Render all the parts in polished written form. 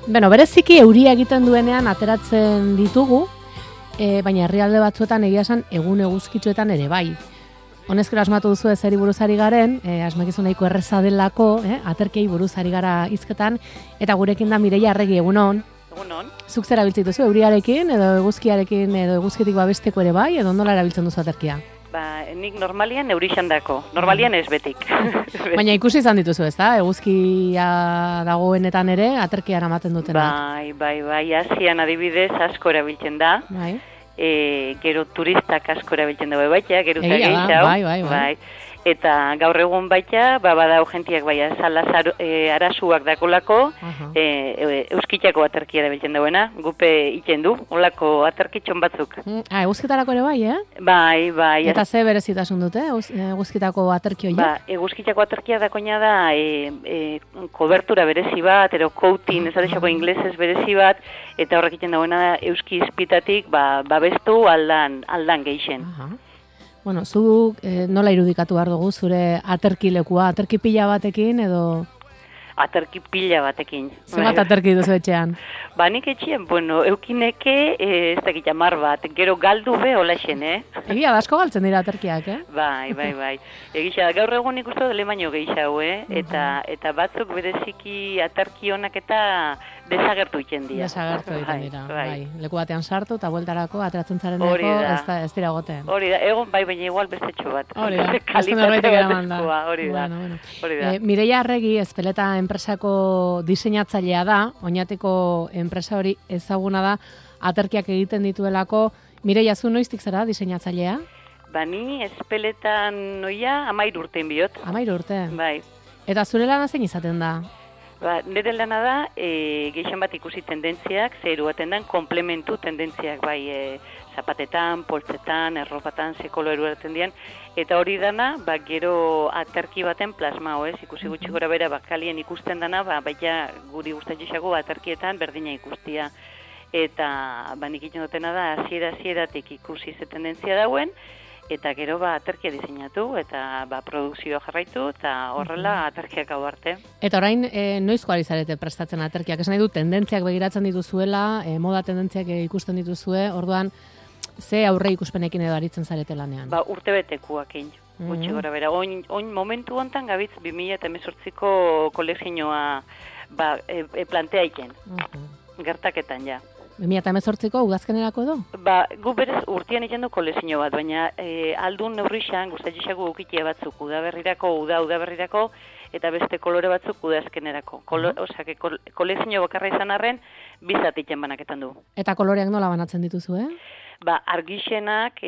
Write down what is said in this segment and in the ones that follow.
Beno, bereziki euria egiten duenean ateratzen ditugu, baina herrialde batzuetan egia esan egun eguzkitsuetan ere bai. Honezkero asmatu duzu ezeri buruzari garen, asmakizu nahiko erreza delako, aterkiei buruzari gara hizketan, eta gurekin da Mireia Arregi, egunon. Egunon. Zuk zer erabiltzen duzu, euriarekin, edo eguzkiarekin, edo eguzkitik babesteko ere bai, edo nola erabiltzen duzu aterkia? Nik normalian eurixandako, normalian ez betik. Baina ikusi izan dituzu, ez da? Eguzkia dagoenetan ere, aterkia eramaten dutenak. Bai, Asian adibidez asko erabiltzen da. Bai. Gero turistak asko erabiltzen dago baita, geruta gehiago. Bai. Eta gaur egun baita, badau jentiak baina arasuak dakolako, euskitako aterkia erabiltzen dagoena, gupe iten du, olako aterkitxon batzuk. Eguzkitarako ere bai, Bai. Eta ze berezitasun dute, eguzkitako aterki horiek? Eguzkitako aterkia dakoina da, kobertura berezi bat, ero coating, ez adexako inglesez berezi bat, eta horrek iten dagoena euski izpitatik, babestu aldan geixen. Bueno, zu nola irudikatu behar dugu zure aterkilekua, aterki pila batekin edo? Aterki pila batekin. Zenbat aterki duzu etxean? Nik etxean, eukineke ez dakit amar bat, gero galdu be hola xen, Egia, asko galtzen dira aterkiak, Bai. Egisa, gaur egun ikustu dele baino gehiago, Eta batzuk bereziki aterki honak eta desagertu iten dira. Bai. Leku batean sartu eta bueltarako ateratzen zareneko ez dira goten. Hori da, egon bai, baina igual bestetxo bat. Hori da, azten norbaitek eraman da. Hori da. Mireia Arregi, Ezpeleta enpresako diseinatzailea da, oinatiko enpresa hori ezaguna da, aterkiak egiten dituelako. Mireia, zu noiztik zara diseinatzailea? Ni Ezpeletan noia 13 urtein biot. 13 urte? Bai. Eta zure lana zein izaten da? Nire lana da, gehien bat ikusi tendentziak, zeru baten den, komplementu tendentziak, bai, zapatetan, poltsetan, erropatan, zekolo eruaten dian, eta hori dana, gero aterki baten plasma, ikusi gutxi gora bera, bakalien ikusten dana, baina guri gustatxeago aterkietan berdina ikustia. Eta, nik iten dutena da, hasieratik ikusi ze tendentzia dauen, eta gero aterkia diseinatu, eta produkzioa jarraitu, eta horrela aterkiak hau arte. Eta orain, noizko ari zarete prestatzen aterkiak? Esan nahi du, tendentziak begiratzen dituzuela, moda tendentziak ikusten dituzue, orduan, ze aurre ikuspenekin edo aritzen zarete lanean? Urte betekuakin, gutxi gora bera. Oin momentu hontan gabitz 2018ko kolekzioa plantea iken, gertaketan ja. 2018ko udazkenerako edo? Gu berez urtean egin du kolezio bat, baina aldun neurrixan gustatxeago ukitea batzuk udaberrirako, eta beste kolore batzuk udazkenerako. Osea, kolezio bakarra izan arren, bizatitzen banaketan du. Eta koloreak nola banatzen dituzu, Argixenak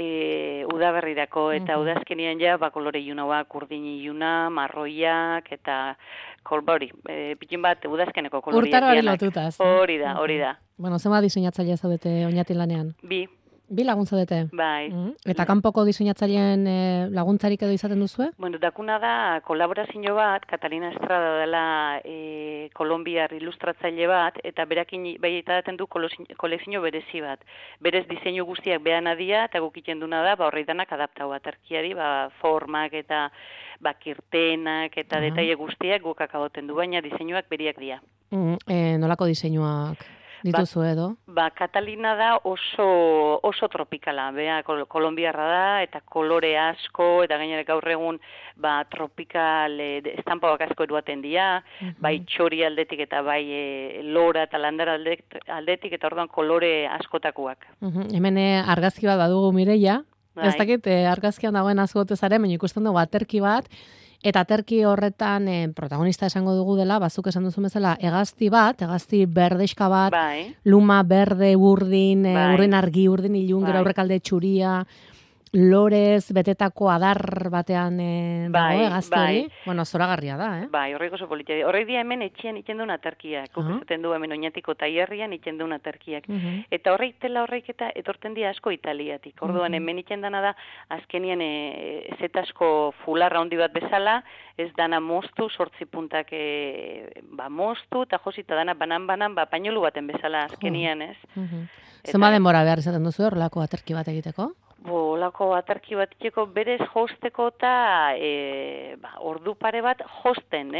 udaberrirako, eta udazkenian ja, kolore iunagoak, urdin iuna, marroiak, eta hori, pikin bat udazkeneko koloriak. Urtaroari lotuta. Hori da. Bueno, zema diseinatzailea zaudete oinatin lanean? Bi lagun zaudete? Bai. Eta kanpoko diseinatzaileen laguntzarik edo izaten duzue? Dakuna da kolaborazio bat, Catalina Estrada dela kolombiar ilustratzaile bat, eta berakin baitaten du kolekzio berezi bat. Berez diseinu guztiak behan adia, eta gukiten duna da, horrei danak adaptau aterkiari, formak eta kirtenak eta detaile guztiak guk akaboten du, baina diseinuak beriak dira. Nolako diseinuak dituzu edo? Catalina da oso tropikala, kolombiarra da, eta kolore asko, eta gainera gaur egun tropikal estampauak asko eruaten dira, bai txori aldetik eta bai lora eta landara aldetik, eta orduan kolore askotakoak. Hemen argazki bat badugu Mireia, ez dakit argazkian dagoen azgote zaren, baina ikusten dugu aterki bat, eta aterki horretan protagonista esango dugu dela, bazuk esan duzu bezala, hegazti berdexka bat, luma, berde, urdin argi, urdin ilun, gero aurrekalde txuria, lorez, betetako adar batean dago hegazti hori. Bueno, zoragarria da, horreik oso politia. Horreik dia hemen etxean iten duen aterkiak. Kupezaten du hemen oinatiko taierrian iten duen aterkiak. Eta horreik eta etorten dia asko Italiatik. Orduan hemen iten dana da, azkenien zetasko fularra handi bat bezala, ez dana moztu, 8 puntak moztu, eta josita dana banan, painolu baten bezala azkenian, ez? Zenba denbora behar izaten duzu horrelako aterki bat egiteko? olako aterki bat itxeko berez josteko eta ordu pare bat josten,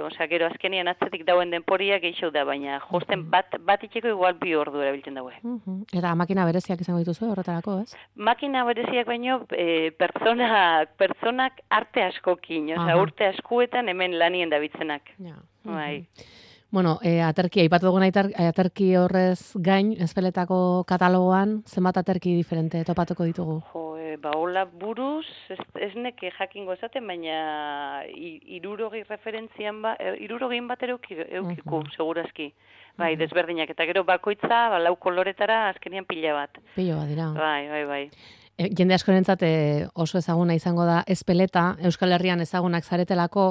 Osea, gero azkenian atzetik dauen denporia gehiago da, baina josten bat itxeko igual 2 ordu erabiltzen daue. Eta makina bereziak izango dituzu horretarako, ez? Makina bereziak baino pertsonak arte askokin, osea, urte askuetan hemen lanien dabiltzenak. Bai. Bueno, aterki, aipatu dugun aterki horrez gain, Ezpeletako katalogoan, zenbat aterki diferente topatuko ditugu? Hola buruz, ez neke jakingo esaten, baina 60 referentzian 60 bat eukiku, segurazki. Bai, desberdinak, eta gero bakoitza, 4 koloretara, azkenian pila bat. Pilo bat dira. Bai. Jende askorentzat oso ezaguna izango da Ezpeleta, Euskal Herrian ezagunak zaretelako.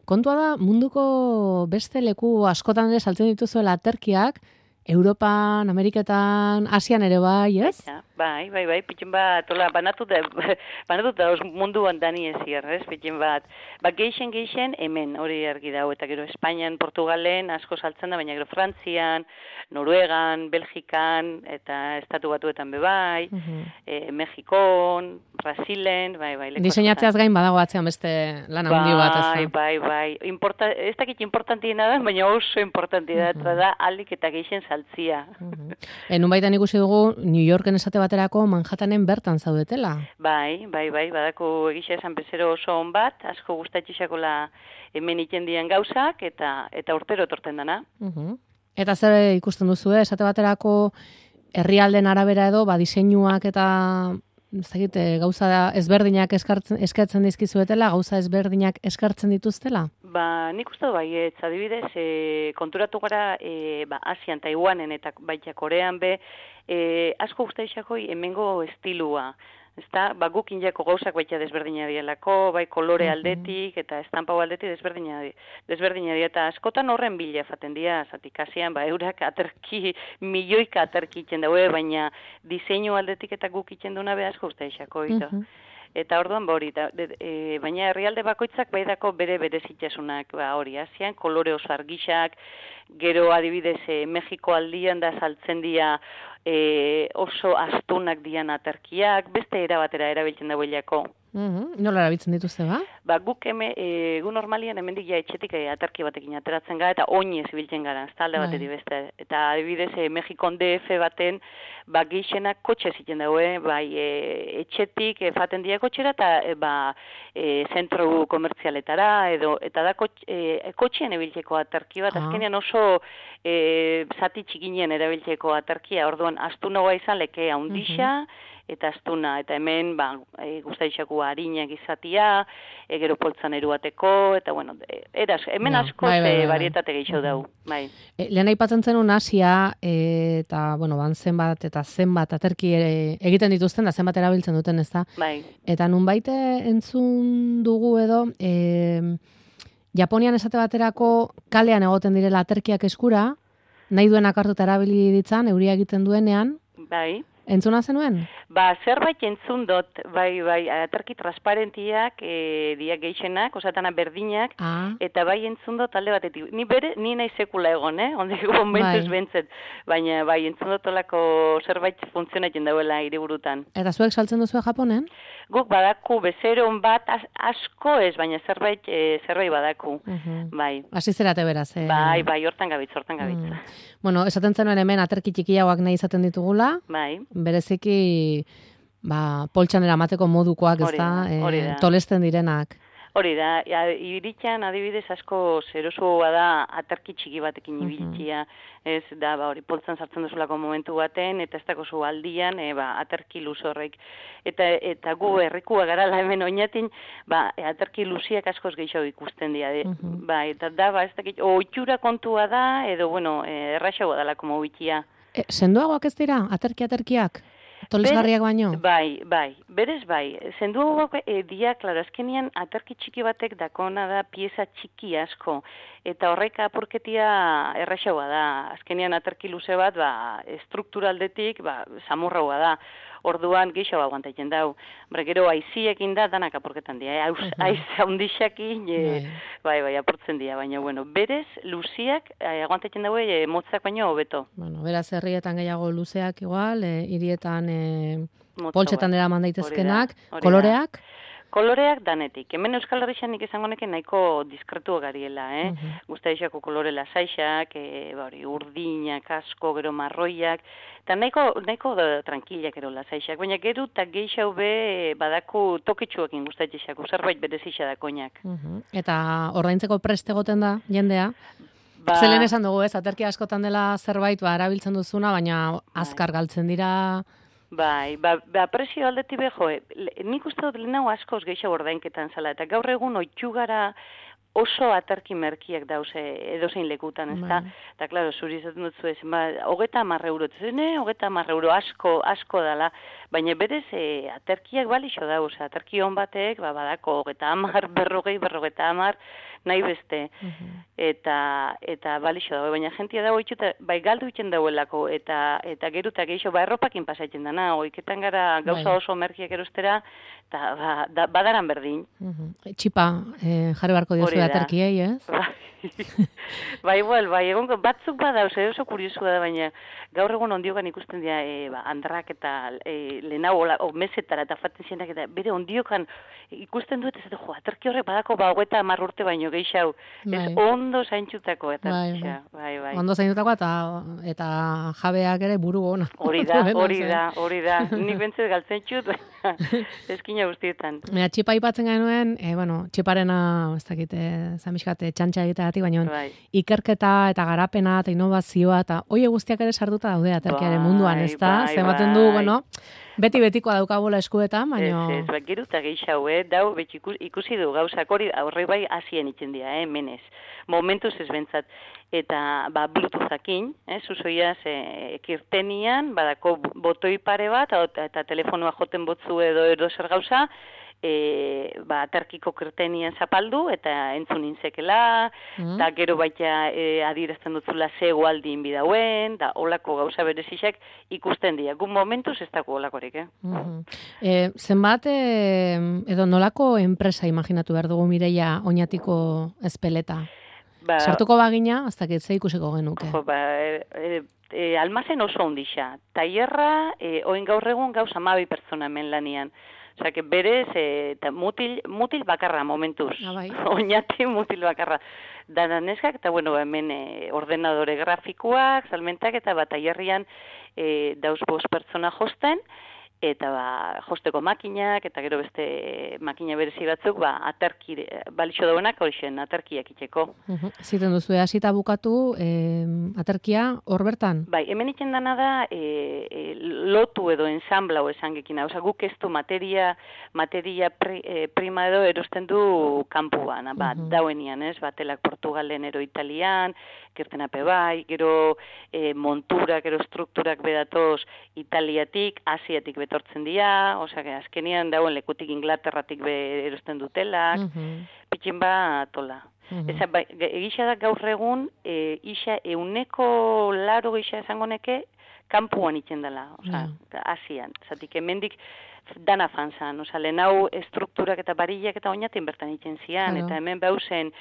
Kontua da, munduko beste leku askotan ere saltzen dituzuela aterkiak, Europan, Ameriketan, Asian ere bai, ez? Bai, pitxen bat, banatu da munduan dani ezier, ez, pitxen bat. Geixen hemen, hori argi dago, eta gero Espainian, Portugalen, asko saltzen da, baina gero Frantzian, Noruegan, Belgikan, eta Estatu Batuetan bebai, Mexikon, Brasilen, bai. Diseinatzeaz gain badago atzean beste lan handi bat, ez da? Bai. Ez dakit importantiena da, baina oso importantia da, aldik eta geixen saltzia. Nun baitan ikusi dugu, New Yorken esate baterako Manhattanen bertan zaudetela. Bai, badako egisa esan bezero oso on bat, asko gustatxixakola hemen ikendian gauzak, eta urtero torten dana. Eta zer ikusten duzu, esate baterako herrialden arabera edo, diseinuak eta gauza ezberdinak eskatzen dizkizuetela, gauza ezberdinak eskartzen dituztela? Nik uste du baietz, adibidez, konturatu gara Asian, Taiwanen eta baita Korean asko guztaixako hemengo estilua. Ezta, gukin jako gauzak baita desberdina dielako, bai kolore aldetik eta estampau aldetik desberdina dira, eta askotan horren bila faten dira, zatik Asian, eurak aterki, milioika aterki itzen daue, baina diseinu aldetik eta guk itzen duna asko guztaixako, Eta orduan hori, baina herrialde bakoitzak baidako bere zitasunak, hori, Asian, kolore oso argixak, gero adibidez Mexiko aldian da saltzen dira oso astunak dian aterkiak, beste erabatera erabiltzen dagoelako. Nola erabiltzen dituzte, ba? Guk gu normalian hemendik etxetik aterki batekin ateratzen gara, eta oinez ibiltzen gara, ez talde batetik beste. Eta adibidez Mexikon DF baten, geixenak kotxe ziten dago, etxetik faten dira kotxera, eta zentro komertzialetara, eta da kotxean ibiltzeko aterki bat, azkenean oso zati txikinen erabiltzeko aterkia, orduan astunagoa izan leke handixa, eta astuna, eta hemen guztaixako harinak izatia, gero poltzan eruateko, eta bueno, hemen asko barietate gehiago dugu. Lehen aipatzen zenun Asia, eta bueno, zenbat eta zenbat aterki egiten dituzten, da zenbat erabiltzen duten, ez da? Eta nunbait entzun dugu edo, Japonian esate baterako kalean egoten direla aterkiak eskura, nahi duenak hartuta erabili ditzan, euria egiten duenean. Entzuna zenuen? Zerbait entzun dut, aterki transparentiak, diak geixenak, osatana berdinak, eta entzun dut alde batetik. Ni nahi sekula egon, ondik momentuz bentzet, baina entzun dut olako zerbait funtzionatzen dauela hiriburutan. Eta zuek saltzen duzu Japonen? Guk badaku bezeron bat asko ez, baina zerbait badaku. Hasi zerate beraz. Hortan gabitz. Bueno, esaten zenuen hemen aterki txikiagoak nahi izaten ditugula. Bereziki poltsan eramateko modukoak, ez da, tolesten direnak. Hori da, iritxan adibidez asko zerosoa da aterki txiki batekin ibiltzia, ez da, hori poltzan sartzen duzulako momentu baten, eta ez dako zu aldian, aterki luze horrek. Eta gu herrikua garala hemen oinatin, aterki luziak askoz gehiago ikusten dira. Eta da, ez dakit, oitxura kontua da, edo, bueno, erraxagoa dalako mobitia. Sendoagoak ez dira, aterkiak? Tolesgarriak baino? Berez zenduagoak dia, klaro, azkenian aterki txiki batek dakona da pieza txiki asko, eta horrek apurketia erraxagoa da. Azkenian aterki luze bat, strukturaldetik, samurragoa da. Orduan gehiago aguantatzen dau. Gero aiziekin da, danak apurketan dira. Aiz haundixakin, apurtzen dira. Baina, bueno, berez, luziak aguantatzen daue motzak baino hobeto. Beraz, herrietan gehiago luzeak igual, hirietan poltsetan eraman daitezkenak, koloreak? Koloreak danetik. Hemen Euskal Herrian nik esango neke nahiko diskretu gariela, Guztaixako kolore lasaixak, urdinak, asko, gero marroiak, eta nahiko tranquilak ero lasaixak, baina gero eta geixau be badaku tokitxuekin guztaixako, zerbait berezisa da koinak. Eta ordaintzeko prest egoten da, jendea? Zelen esan dugu ez, aterki askotan dela zerbait, erabiltzen duzuna, baina azkar galtzen dira... Bai, presio aldetik beho, nik uste dut lehenago askoz gehiago ordainketan zala, eta gaur egun oitxu gara oso aterki merkiak dauze edozein lekutan, ez da? Eta, klaro, zuri izaten dut zuen, 30 euro, hogeta 30 euro asko dala, baina berez aterkiak balixo dauz, aterki hon batek, badako 30, 40, nahi beste, eta balixo dago, baina jentia dago itxuta, bai galdu itzen dauelako, eta gerutak eixo, erropakin pasatzen dana, oiketan gara gauza oso merkiak erostera, eta badaran berdin. Txipa, jarri barko diozu aterkiei, ez? Bai, egon batzuk badauz, oso kuriosua da, baina gaur egun ondiokan ikusten dira andrak eta lehenago mesetara eta faten zienak, eta bere ondiokan ikusten dut, ez aterki horrek badako 30 urte baino gehiago, ez ondo zaintxutako aterkia. Bai. Ondo zaintxutako eta jabeak ere buru ona. Hori da, nik bentzet galtzen txut, eskina guztietan. Txipa ipatzen genuen, txiparena, ez dakit, zamiskate, txantxa egiteagatik, baina ikerketa eta garapena eta innovazioa eta oie guztiak ere sartuta daude aterkiaren munduan, ez da? Zematen du, beti-betikoa daukabola eskuetan, baina... Ez, geruta gehiago, dau, ikusi du gauzak horre bai azien itzen dira, menez. Momentuz ez bentzat. Eta, Bluetoothakin, zuzoiaz, kirtenian, badako botoi pare bat, eta telefonoa joten botzu edo zer gauza, aterkiko kirtenian zapaldu, eta entzun inzekela, eta gero baita adierazten dutzula zego aldin bidauen, da olako gauza berezizak ikusten dira. Gun momentuz ez dago olakorik, Zenbat, edo nolako enpresa imaginatu behar dugu Mireia oinatiko espeleta? Sartuko bagina, hasta que ze ikusiko genuke. Almazen oso ondixa. Taierra, oin gaur egun gauz 12 pertsona hemen lanian. Osa, que berez, mutil bakarra momentuz. Oinati mutil bakarra. Dana neskak, eta hemen ordenadore grafikoak, salmentak, eta taierrian dauz 5 pertsona josten, eta josteko makinak, eta gero beste makina berezi batzuk, aterki, balixo dauenak horixen, aterkiak itxeko. Ziten duzu, hasita bukatu, aterkia hor bertan? Bai, hemen itzen dana da, lotu edo ensamblau esan gekina, oza, guk ez du materia prima edo erosten du kanpuan, dauenian, ez, batelak Portugalen ero Italian, kirtenape bai, gero monturak, gero strukturak bedatoz Italiatik, Asiatik betortzen dira, osea, azkenian dauen lekutik Inglaterratik erosten dutelak, pitxin tola. Egisa da gaur egun, isa 100 gisa esango neke, kanpuan itzen dela, osea, Asian, zatik hemendik dana fanzan, oza, lehenau estrukturak eta barillak eta oinatin bertan itzen zian, eta hemen bauzen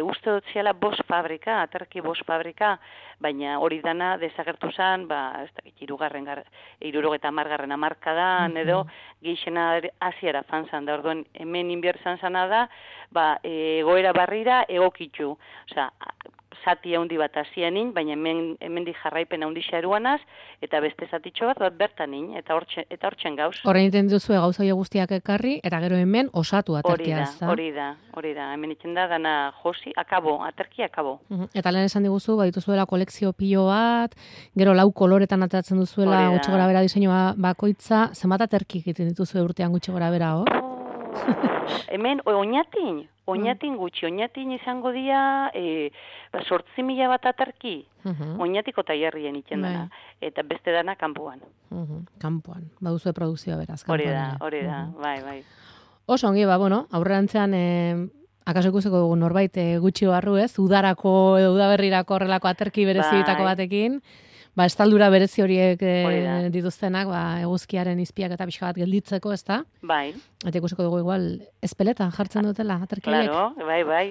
uste dut ziala aterki 5 fabrika, baina hori dana desagertu zan, ez dakit, 70. hamarkadan, edo geixena Asiara fanzan, da orduen hemen inbiertzan zana da, egoera barrira egokitzu, oza, zati handi bat hasianin, baina hemendik jarraipen handia eruanaz, eta beste zatitxo bat bertanin, eta hortzen gauz. Horrein iten duzu gauza guztiak ekarri, eta gero hemen osatu aterkia. Hori da, hemen itzen da, dana josi, aterkia akabo. Eta lehen esan diguzu, dituzuela kolekzio pilo bat, gero 4 koloretan ateratzen duzuela gutxi gora bera diseinua bakoitza, zenbat aterki egiten dituzu urtean gutxi gora bera, hor? Hemen, oinatin gutxi, oinatin izango dira 8.000 bat aterki, oinatiko taierrien itzen dena, eta beste dana kanpuan. Kanpuan, baduzu produkzioa beraz. Hori da, bai. Oso ongi, aurrerantzean, akaso ikusiko dugu norbait gutxi barru ez, udarako edo udaberrirako horrelako aterki berezitako batekin, estaldura berezi horiek dituztenak, eguzkiaren izpiak eta pixka bat gelditzeko, ez da? Bai. Eta ikusiko dugu igual espeletan jartzen dutela, aterkiek. Claro, bai,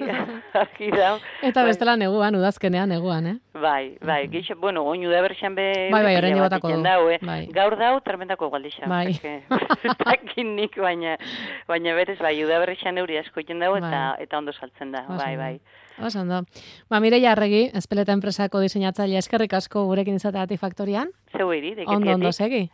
argi da. Eta bestela neguan, udazkenean neguan, Bai, gixo, bueno, oin udaberrian be... Bai, orain botako du. Bai. Gaur dau, tremendako galdixa. Bai. Takinik, baina berez, bai, udaberrian euri asko iten dau, eta ondo saltzen da, bai. Oso ondo. Mireia Arregi, Espeleta enpresako diseinatzailea, eskerrik asko gurekin izateagatik faktorian. Zeu iri, deketiatik. Ondo segi.